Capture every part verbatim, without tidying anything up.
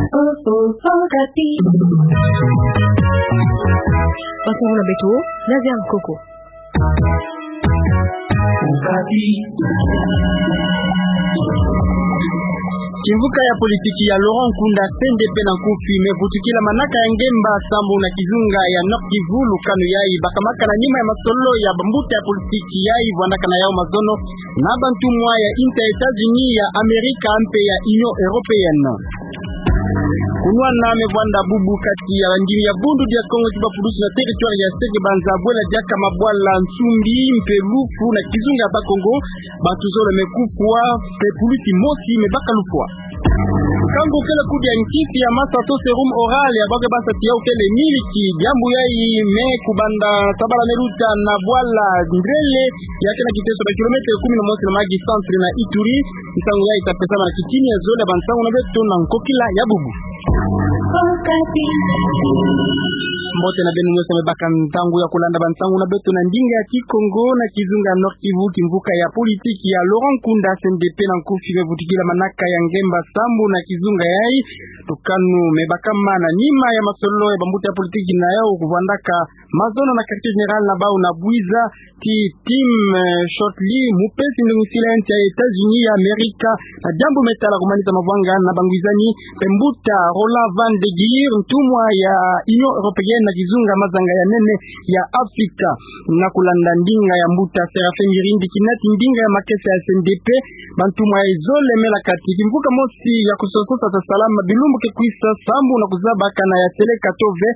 Mansonga na beto, Nadia Nkoko. Kimvuka ya politiki ya Laurent Nkunda, C N D P na nkufi, mevutukila manaka ya ngemba sambu na kizunga ya Nord-Kivu, lukanu yayi bakamaka na nima ya masololo ya bambuta ya politiki yayi vwandaka na yau mazono na bantumwa ya inter États-Unis ya Amerika mpe ya Union Européenne. Kunwana mevwanda bubu kati ya bandimi ya Bundu dia Kongo ti bapulusu na territoire ya Seke-Banza bwela diaka mabwala, nsumbi mpe lufu na kizunga ya Bas-Congo. Bantu zole mekufwa, mpe pulusi mosi mebaka lufwa. Nkangu kele kudia nkisi ya masa to sérum oral ya bake basa ti yau kele miliki, diambu yayi me kubanda tabala meluta na bwala Ndrele, ya kena kiteso ba kilomètre kumi na mosi na magi centre na Ituri. Nsangu yayi tapesama na kitini ya zole ya bansangu na beto na nkokila ya bubu. Mbote na beno nyonso mebaka ntangu ya kulanda bansangu na beto na ndinga ya Kikongo. Na kizunga ya Nord-Kivu, kimvuka ya politiki ya Laurent Nkunda, C N D P na nkufi, mevutukila manaka ya ngemba sambu na kizunga yayi. Lukanu mebakama na nima ya masololo ya bambuta ya politiki na yau kuvwandaka mazono na quartier général na bau na Bouiza, ti Tim, eh, Shortley, mupesi ndungisila ya nsi ya États-Unis ya Amerika na diambu metala kumanisa mavwanga na bangwizani, mpe mbuta Roland Van de Geer, ntumwa ya Union Européenne na kizunga mazanga ya nene ya Afrika. Na kulanda ndinga ya mbuta Séraphin Mirindi, kinati ndinga ya makesa ya C N D P, bantumwa yayi zole mela kati kimvuka mosi ya kusososa tasalama bilumbu ke kwisa sambu na kuzaba kana ya seleka to ve.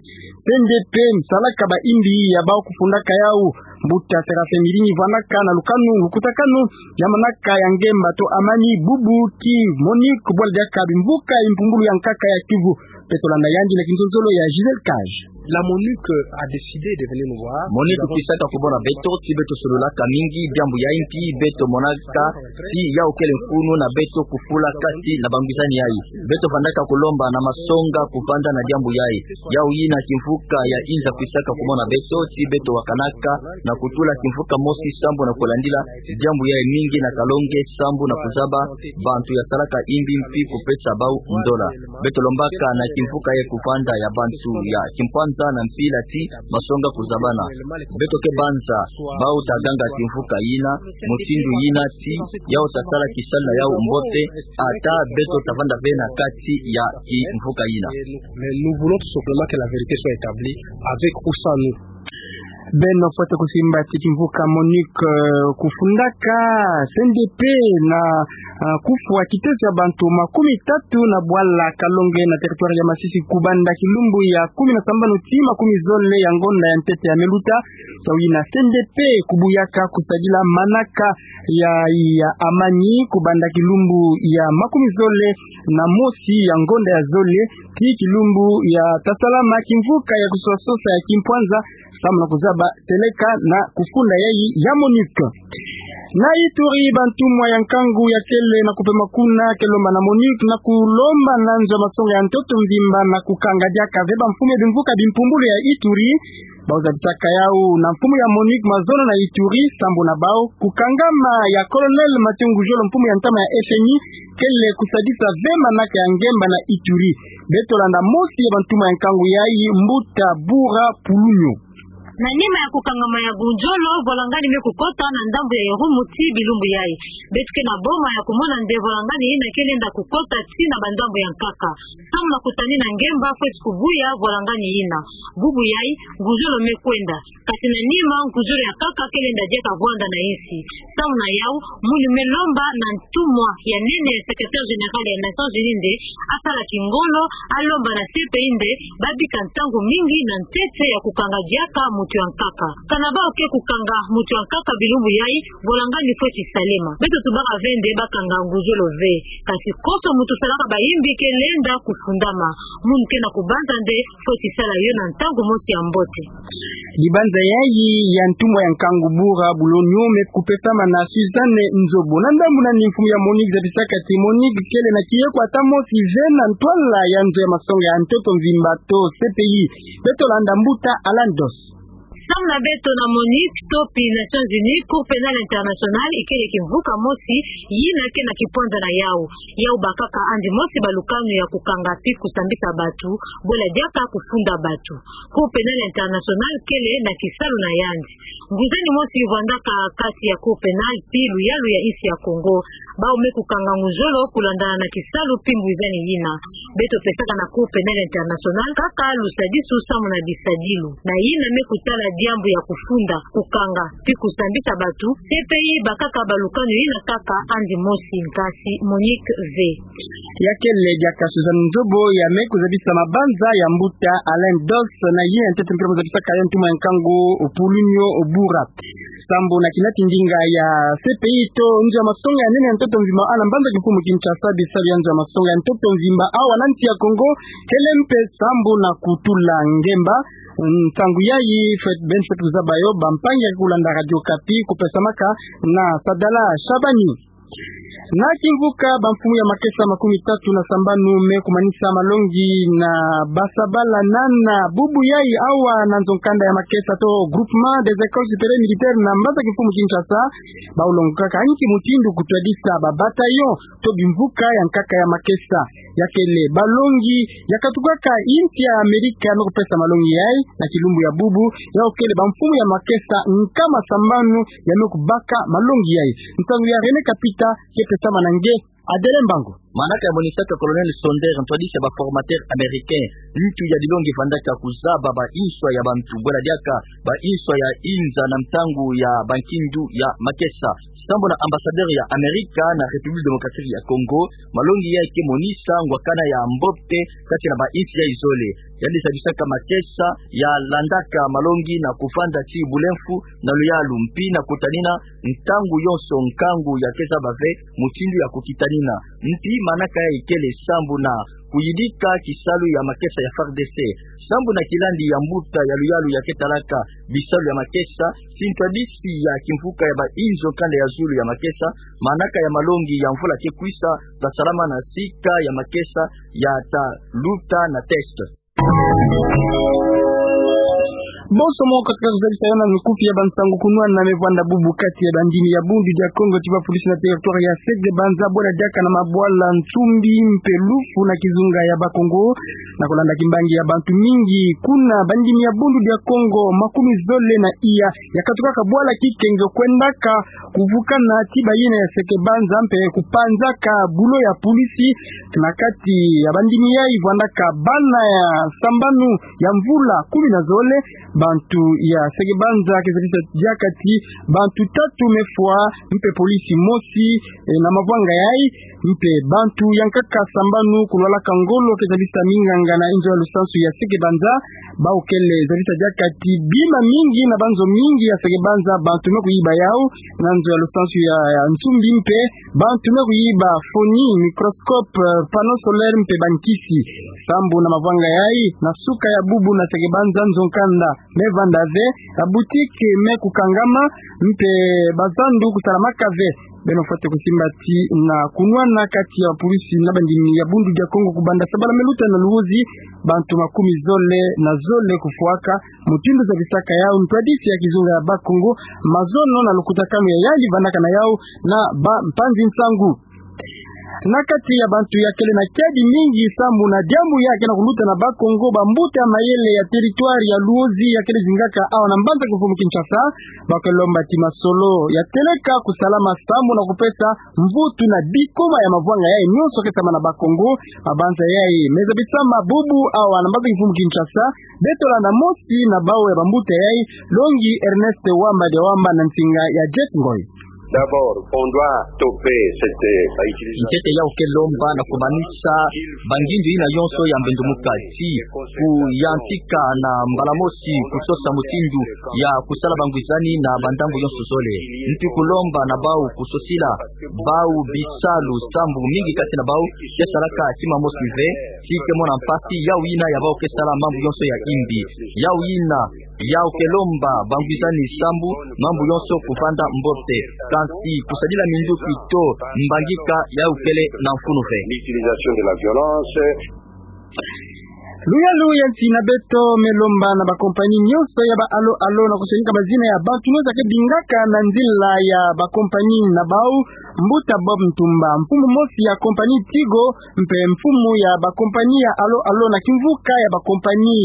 C N D P, salaka bayimbi ya bau kufundaka yau. Mbuta Séraphin Mirindi vwandaka na lukanu, lukutakanu ya manaka ya ngemba to amani, bubu ti MONUC, bwela diaka bimvuka impumbulu ya nkaka ya Kivu. Beto landa yandi na kinzonzolo ya Gisèle Cage. La MONUC a décidé de venir nous voir. MONUC kwisaka kumona beto, si beto sololaka mingi diambu ya impi, beto monaka si yau kele mfunu na beto kufula kati na bangwizani yayi. Beto vandaka kulomba na masonga kuvanda na diambu yayi. Yau yina kimvuka ya inza kwisaka kumona beto, si beto wakanaka na kutula kimvuka mosi sambu na kulandila diambu yayi mingi na kalonge sambu na kuzaba bantu ya salaka imbi mpi kupesa bau ndola. Beto lombaka na kimvuka yayi kuvanda ya bantu ya kimpwanza na mpila ti masonga kuzabana. Beto ke banza bau taganga kimvuka yina, mutindu yina ti yau tasala kisalu na yau mbote, ata beto tavanda ve na kati ya kimvuka yina. Mais nous voulons tout simplement que la vérité soit établie, avec ou sans nous. Beno fwete kusimba ti kimvuka MONUC, eh, kufundaka C N D P na, eh, kufwa kiteso ya bantu makumi tatu na bwala kalonge na territoire ya Masisi kubanda kilumbu ya kumi na sambanu ti makumi zole ya ngonda ya ntete ya meluta. Yau yina C N D P kubuyaka kusadila manaka ya, ya amani kubanda kilumbu ya makumi zole na mosi ya ngonda ya zole ti kilumbu ya tasalama kimvuka ya kusososa ya kimpwanza, sambu na kuzaba seleka na kufunda yayi ya MONUC. Na Ituri, bantumwa ya nkangu ya kele na kupema kuna ke lomba na MONUC na kulomba na nzo ya masonga ya ntoto mvimba na kukanga diaka ve bamfumu ya bimvuka bimpumbulu ya Ituri. Bau zabisaka yau na mfumu ya MONUC mazono na Ituri, sambu na bau kukangama ya Colonel Mathieu Ngujolo, mfumu ya ntama ya F N I, kele kusadisa ve manaka ya ngemba na Ituri. Beto landa mosi ya bantumwa ya nkangu yayi, mbuta Bura Pulunyo. Na nima ya kukangama ya Ngujolo, volangani me kukota na ndambu ya Irumu ti bilumbu yayi. Beto ke na boma ya kumona nde volangani yina ke lenda kukota ti na bandambu ya nkaka. Sambu na kutani na ngemba fweti kubuya volangani yina. Bubu yayi, Ngujolo me kwenda. Kati na nima, Ngujolo ya nkaka ke lenda diaka vwanda na insi. Sambu na yau, munu me lomba na ntumwa ya nene ya secrétaire général ya Nations Unies nde asala kingolo, alomba na C P I nde babika ntangu mingi na ntete ya kukanga diaka mutu ya nkaka. Kana bau ke kukanga mutu ya nkaka bilumbu yayi, volangani fweti salema. Beto tubaka ve nde bakanga Ngujolo ve. Kasi konso mutu salaka bayimbi ke lenda kufundama. Munu ke na kubanza nde fweti sala yo na ntangu mosi ya mbote. Libanza yayi ya ntumwa ya nkangu Bura Pulunyo me kupesama na Suzanne Nzobo. Na ndambu nani mfumu ya MONUC zabisaka ti MONUC kele na kieko ata mosi ve na ntwala ya nzo ya masonga ya ntoto mvimba to C P I. Beto landa mbuta Alandos. Samu na beto na MONUC to pi Nations Unies, Cour Penale Internationale ikele kimvuka mosi yina ke na kipwanda na yau. Yau bakaka andi mosi balukanu ya kukanga pi kusambisa batu, bwela diaka kufunda batu. Cour Penale Internationale kele na kisalu na yandi. Nguzani mosi vwandaka kati ya Cour Penale pi luyalu ya insi ya Congo. Bau me kukanga nguzolo kulandana na kisalu pi nguzani yina. Beto pesaka na Cour Penale Internationale kaka lusadisu samu na bisadilu. Na yina me kutala diambu ya kufunda, kukanga, pi kusambisa batu, C P I bakaka balukanu yina kaka andi mosi nkasi MONUC ve. Ya kele diaka Suzanne Nzobo ya me kuzabisa mabanza ya mbuta Alain Dos na yina ntete mpila muzabisaka yo ntuma ya nkangu Paulinho Bura. Sambu na kinati ndinga ya C P I to nzo ya masonga ya nene ya ntoto mvimba awa na mbanza kimfumu Kinshasa, bisalu ya nzo ya masonga ya ntoto mvimba awa na nsi ya Congo, kele mpe sambu na kutula ngemba. Ntangu yayi, Fred Benfet kuzaba yo, bampangi ya kulanda Radio Okapi, kupesamaka na Sadala Shabani. Na kimvuka, bamfumu ya makesa makumi tatu na sambanu me kumanisa malongi na basabala nana bubu yayi awa na nzo-nkanda ya makesa to Groupement des Écoles Supérieures Militaires na mbanza kimfumu Kinshasa, bau longokaka nki mutindu kutwadisa ba bataillon to bimvuka ya nkaka ya makesa. Ya kele balongi ya katukaka insi ya Amerika me kupesa malongi yayi na kilumbu ya bubu, yau kele bamfumu ya makesa nkama sambanu ya me kubaka malongi yayi. Ntangu ya René Kapita, ke pesama na nge Adele Mbangu. Manaka ya monisaka Colonel Sonder, ntwadisi ya ba formateur américain, ntu ya dilongi vandaka kuzaba ba inswa ya bantu, bwela diaka ba inswa ya inza na ntangu ya bankindu ya makesa. Sambu na ambassadeur ya Amerika na République Démocratique ya Congo, malongi yayi ke monisa ngwakana ya mbote kati na ba insi yayi zole. Yandi sadisaka makesa ya landaka malongi na kuvanda ti bulemfu na luyalu mpi na kutanina ntangu yonso nkangu ya ke zaba ve mutindu ya kukitanina. Mpi manaka yayi kele sambu na kuyidika kisalu ya makesa ya F A R D C. Sambu na kilandi ya mbuta ya luyalu ya ke talaka bisalu ya makesa, ti ntwadisi ya kimvuka ya ba inzo-nkanda ya zulu ya makesa, manaka ya malongi ya mvula ke kwisa, tasalama na sika ya makesa ya taluta na test. Bonso mo katika kuzalisa yo na mikufi ya bansangu kunwana me vwanda bubu kati ya bandimi ya Bundu dia Kongo ti ba pulisi na territoire ya Sege Banza, bwela diaka na mabwala Nsumbi mpe Lufu na kizunga ya Bakongo. Na kulanda kimbangi ya bantu mingi kuna bandimi ya Bundu dia Kongo makumi zole na iya ya katukaka bwala Kikenge kwendaka kuvukana ti bayina ya Sege Banza mpe kupanzaka bulo ya pulisi. Na kati ya bandimi yayi vwandaka bana ya sambanu ya mvula kumi na zole. Bantu ya Sege Banza ke zabisa diaka ti bantu tatu me fwa mpe polisi mosi, eh, na mavwanga yayi. Mpe bantu ya nkaka sambanu kulwalaka ngolo ke zabisa minganga na inzo ya lusansu ya Sege Banza. Bau kele zabisa diaka ti bima mingi na banzo mingi ya Sege Banza bantu me kuyiba yau. Na nzo ya lusansu ya, ya Nsumbi mpe bantu me kuyiba foni, microscope, eh, panneau solaire mpe bankisi. Sambu na mavwanga yayi, na suka ya bubu na Sege Banza nzo-nkanda me vanda ve, ba boutique me kukangama, mpe bazandu kusalamaka ve. Beno fwete kusimba ti na kunwana kati ya pulisi na bandimi ya Bundu dia Kongo kubanda sabala me luta na Luozi, bantu makumi zole na zole kufwaka. Mutindu zabisaka yau ntwadisi ya kizunga ya Bakongo, mazono na lukutakanu ya yandi vandaka na yau na bampanzi nsangu. Na kati ya bantu ya kele na kiadi mingi sambu na diambu ya ke na kuluta na Bakongo, bambuta ya mayele ya territoire ya Luozi ya kele zingaka awa na mbanza kimfumu Kinshasa, ba ke lomba ti masolo ya teleka kusalama sambu na kupesa mvutu na bikoma ya mavwanga yayi nyonso ke sama na Bakongo. Mabanza yayi me zabisama bubu awa na mbanza kimfumu Kinshasa. Beto landa mosi na bau ya bambuta yayi, longi Ernest Wamba dia Wamba na nsinga ya Jeff Ngoy. D'abord, on doit stopper cette, euh, utilisation. Ntete yau ke lomba na kumanisa bangindu yina yonso ya mbendumuka ti kuyantika na mbala mosi kusosa mutindu ya kusala bangwizani na bandambu yonso zole. Nti kulomba na bau kusosila bau bisalu sambu mingi kati na bau ke salaka tima mosi ve, ti ke mona mpasi, yau yina ya bau ke sala mambu yonso ya imbi. Yau yina, yau ke lomba bangwizani sambu mambu yonso kuvanda mbote. Kansi kusadila minduki to mbangika yau kele na mfunu ve. L'utilisation de la violence. Luyalu ya nsi na beto me lomba na bakompani nyonso ya ba alo alo na kusonika bazina ya bantu nyonso ke bingaka na nzila ya bakompani na bau, Mbuta Bob Ntumba, mfumu mosi ya kompani Tigo, mpe mfumu ya bakompani ya alo alo na kimvuka ya bakompani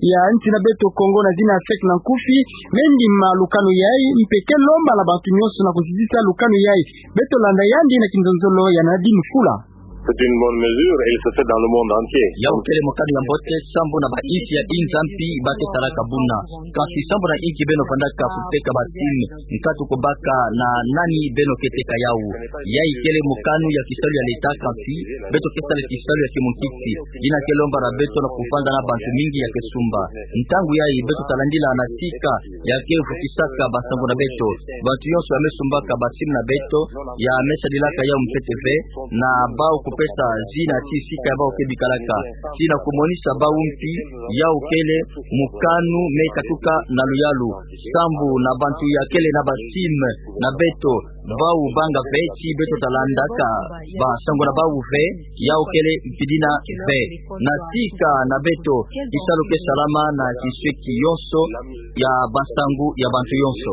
ya nsi na beto Kongo na zina ya SEC na nkufi, me ndima lukanu yayi, mpe ke lomba na bantu nyonso na kusisita lukanu yayi. Beto landa yandi na kinzonzolo ya Nadine Fula. C'est une bonne mesure et il se fait dans le monde entier. Yawu kele mokanu ya mbote, sambu na bainsi ya inza mpi ba ke salaka buna. Kasi sambu na inki beno vandaka kuteka ba SIM, nkatu kubaka na nani beno ke teka yawu? Yayi kele mokanu ya kisalu ya leta, kasi beto ke sala kisalu ya kimunkisi. Dina ke lomba na beto na kuvanda na bantu mingi ya ke sumba. Ntangu yayi beto talandila na sika ya ke vutisaka bansangu na beto. Bantu nyonso ya me sumbaka ba SIM na beto, ya me sadilaka yawu mpeve, na bau kupesa zina ti sika ya bau ke bikalaka, ti na kumonisa bau mpi. Yawu kele mokanu me katuka na luyalu. Sambu na bantu ya kele na ba SIM na beto, bau banga ve ti beto talandaka bansangu na bau ve, yawu kele mpidina ve. Na sika na beto, kisalu ke salama na kisweki yonso ya bansangu ya bantu yonso.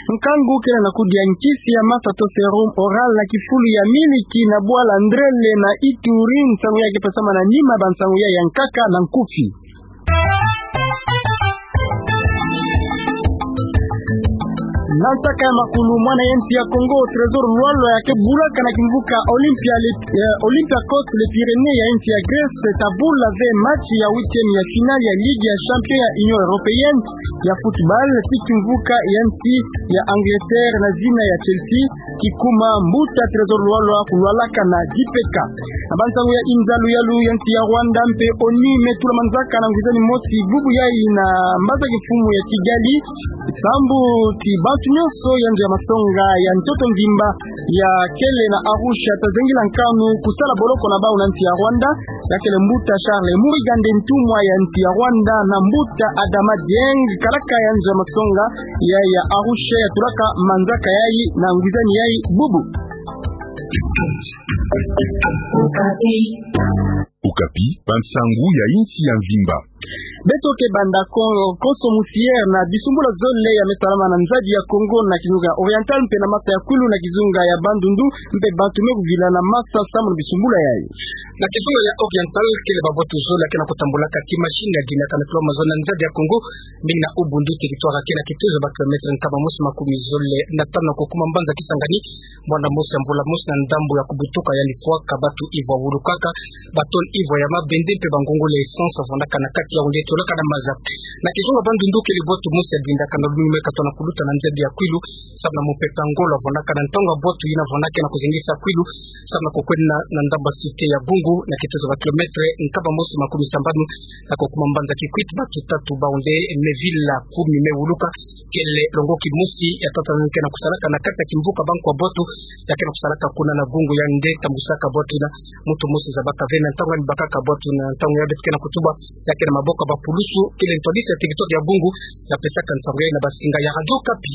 Nkangu kele na kudia nkisi ya masa to sérum oral na kifulu ya miliki na bwala Ndrele na Ituri, nsangu ya ke pesama na nima bansangu ya ya nkaka na nkufi. Na ntaka ya makulu, mwana ya nsi ya Kongo, Trésor Lualua, ya ke bulaka na kimvuka Olympia le, eh, Olympiakos Les Pyrénées ya nsi ya Grèce, ta bula ve match ya huitième ya finale ya Ligue ya Champion ya Union Européenne ya football, ti kimvuka ya nsi ya Angleterre na zina ya Chelsea, kikuma mbuta Trésor Lualua kulwalaka na dipeka. Na bansangu ya inza, luyalu ya nsi ya Rwanda mpe ONU me tula manzaka na ngwizani mosi bubu yayi na mbaza kimfumu ya Kigali, sambu ti bantu nyonso ya nzo ya masonga ya ntoto mvimba ya kele na Arusha ta zengila nkanu kusala boloko na bau na nsi ya Rwanda. Ya kele mbuta Charles Murigande, ntumwa ya nsi ya Rwanda, na mbuta Adama Dieng, kalaka ya nzo ya masonga ya, ya Arusha, ya tulaka manzaka yayi na ngwizani yayi bubu. Okapi, bansangu ya insi ya mvimba. Beto ke banda ko-, konso musiere na bisumbula zole ya me salama na nzadi ya Kongo na kizunga Oriental mpe na masa ya Kwilu na kizunga ya Bandundu, mpe bantu me kuvila na masa sambu na bisumbula yayi. Na kizunga ya Oriental, kele babwatu zole ya ke na kutambulaka kimachine ya dinaka na kilomètre zole na nzadi ya Kongo, mingi na Ubundu, territoire ya ke na kitezo ba kilomètre nkama mosi makumi zole na tanu na kukuma mbanza Kisangani, mwanda mosi ya mvula mosi na ndambu ya kubutuka, yandi fwaka batu ivwa wulukaka ba tonne ivwa ya mabende mpe ba ngongole ya essence vandaka na kati ya yawu nde tolaka na maza. Na kizunga Bandundu, kele bwatu mosi ya dindaka na lunungu me katona kuluta na nzadi ya Kwilu, sambu na mumpeka ngolo vandaka na ntangu ya bwatu yina vandaka na kuzengisa Kwilu, sambu na kukwenda na ndambu ya cité ya Gungu, na kitezo ba kilomètre nkama mosi makumi sambanu na kukuma mbanza Kikwit, batu tatu bau nde me vila, kumi me wuluka. Kele longoki mosi ya tata na ke na kusalaka na kati ya kimvuka banko ya bwatu ya ke na kusalaka kuna na Gungu, yandi tambusaka bwatu yina. Muntu mosi zabaka ve na ntangu yandi bakaka bwatu yina, na ntangu ya beto ke na kutuba, ya ke na maboko ya bapulusu. Kele ntwadisi ya territoire ya Gungu ya pesaka nsangu yayi na basinga ya Radio Okapi.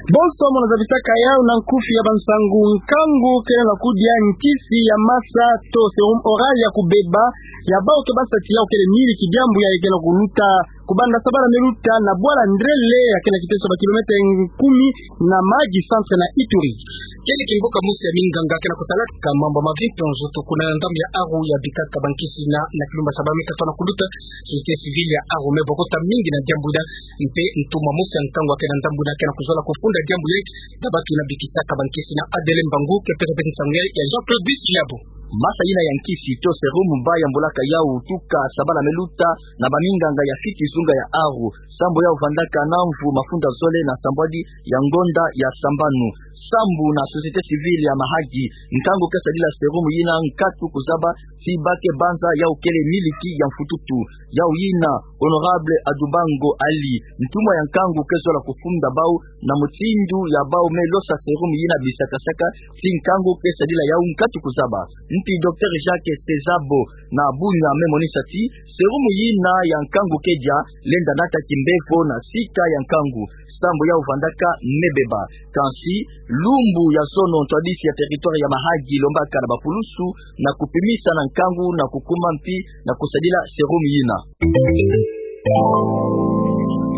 Bonso mono zabisaka yawu na nkufi ya bansangu. Nkangu kele na kudia nkisi ya masa to sérum oral ya kubeba ya bau ke basa ti yawu kele miliki, diambu yayi ke na kuluta kubanda sabala me luta na bwala Ndrele ya ke na kiteso ba kilomètre kumi na Mahagi centre na Ituri. Kele kimvuka mosi ya minganga ke na kusalaka mambu ya mavimpi nzoto kuna na ndambu ya Aru, ya bikaka bankisi yina na kilumbu ya sabala me katona kuluta. Société civile ya Aru me bokota mingi na diambu yina, mpe ntumwa mosi ya nkangu ya ke na ndambu yina ke na kuzola kufunda diambu yayi na batu yina bikisaka bankisi yina. Adele Mbangu ke pesa beto nsangu yayi ya Jean-Claude Bisliabo. Masa yina ya nkisi to sérum ba yambulaka yawu tuka sabala me luta na baminganga ya fiti zunga ya Aru, sambu yawu vandaka na mvu mafunda zole na sambwadi ya ngonda ya sambanu. Sambu na société civile ya Mahagi, nkangu ke sadila sérum yina nkatu kuzaba ti ba ke banza yawu kele miliki ya mfututu. Yawu yina Honorable Adubango Ali, ntumwa ya nkangu ke zola kufunda bau na mutindu ya bau me losa serum yina bisakasaka, ti nkangu ke sadila yau nkatu kuzaba. Mpi Docteur Jacques Sezabo na Bunia me monisa ti serum yina ya nkangu ke dia, lenda nata kimbevo na sika ya nkangu, sambu yau vandaka mebeba. Kansi, lumbu ya sono ntwadisi ya territoire ya Mahagi lombaka na bapulusu na kupimisa na nkangu na kukuma mpi na kusadila serum yina.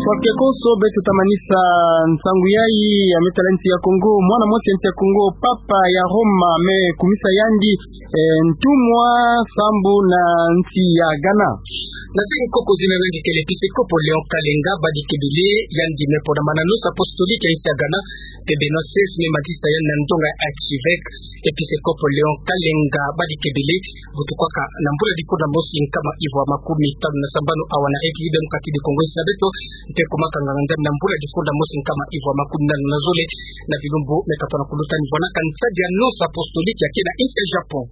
Fwake konso beto ta manisa nsangu yayi ya Me Tala Nsi ya Kongo. Mwana mosi ya nsi ya Kongo, Papa ya Roma, me kumisa yandi, eh, ntumwa sambu na nsi ya Ghana. Na se nkoko zina na nge kele episkopo Léon Kalenga Badikebele, yandi me pona mana noce apostolique ya nsi ya Ghana, mpe Benoît seize me matisa yandi na ndonga ya archevêque. Episkopo Léon Kalenga Badikebele, butukwaka na mbula difunda mosi nkama ivwa makumi tanu na sambanu awa na République Démocratique du Congo, nsi na beto, mpe kumaka nganga-Nzambi na mbula difunda mosi nkama ivwa makumi nanu na zole, na bilumbu me katona kuluta ni vwanaka nsadi ya noce apostolique ya kena nsi ya Japon.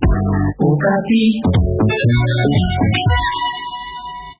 Okapi.